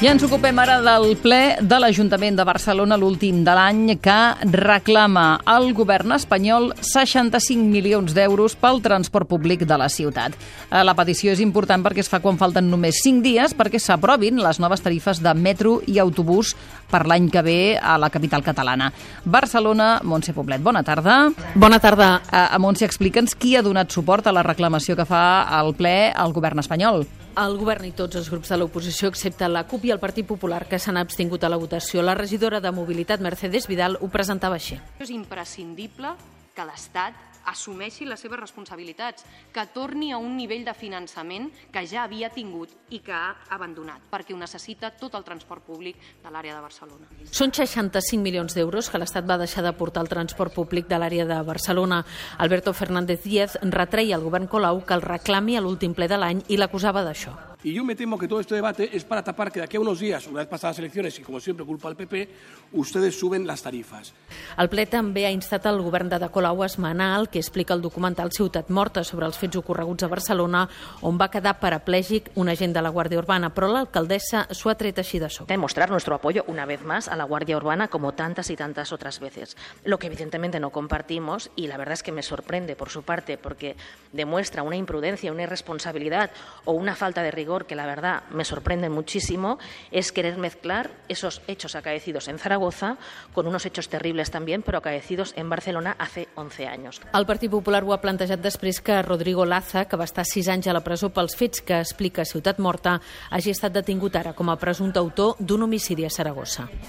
I ens ocupem ara del ple de l'Ajuntament de Barcelona, l'últim de l'any, que reclama al govern espanyol 65 milions d'euros pel transport públic de la ciutat. La petició és important perquè es fa quan falten només 5 dies perquè s'aprovin les noves tarifes de metro i autobús per l'any que ve a la capital catalana. Barcelona, Montse Poblet, bona tarda. Bona tarda. Montse, explica'ns qui ha donat suport a la reclamació que fa al ple al govern espanyol. El govern i tots els grups de l'oposició, excepte la CUP i el Partit Popular, que s'han abstingut a la votació. La regidora de Mobilitat, Mercedes Vidal, ho presentava així. És imprescindible que l'Estat assumeixi les seves responsabilitats, que torni a un nivell de finançament que ja havia tingut i que ha abandonat, perquè ho necessita tot el transport públic de l'àrea de Barcelona. Són 65 milions d'euros que l'Estat va deixar d'aportar al transport públic de l'àrea de Barcelona. Alberto Fernández Díaz retreia al govern Colau que el reclami a l'últim ple de l'any i l'acusava d'això. Y yo me temo que todo este debate es para tapar que de aquí a unos días, una vez pasadas las elecciones, y como siempre culpa al PP, ustedes suben las tarifas. El ple també ha instat el govern d'Ada Colau a esmenar el que explica el documental Ciutat Morta sobre els fets ocorreguts a Barcelona, on va quedar paraplègic un agent de la Guàrdia Urbana, però l'alcaldessa s'ho ha tret així de sobre. Mostrar nuestro apoyo una vez más a la Guardia Urbana como tantas y tantas otras veces. Lo que evidentemente no compartimos, y la verdad es que me sorprende por su parte porque demuestra una imprudencia, una irresponsabilidad o una falta de rigor que la verdad me sorprende muchísimo, es querer mezclar esos hechos acaecidos en Zaragoza con unos hechos terribles también, pero acaecidos en Barcelona hace 11 años. El Partit Popular ho ha plantejat després que Rodrigo Laza, que va estar 6 anys a la presó pels fets que explica Ciutat Morta, hagi estat detingut ara com a presumpte autor d'un homicidi a Saragossa.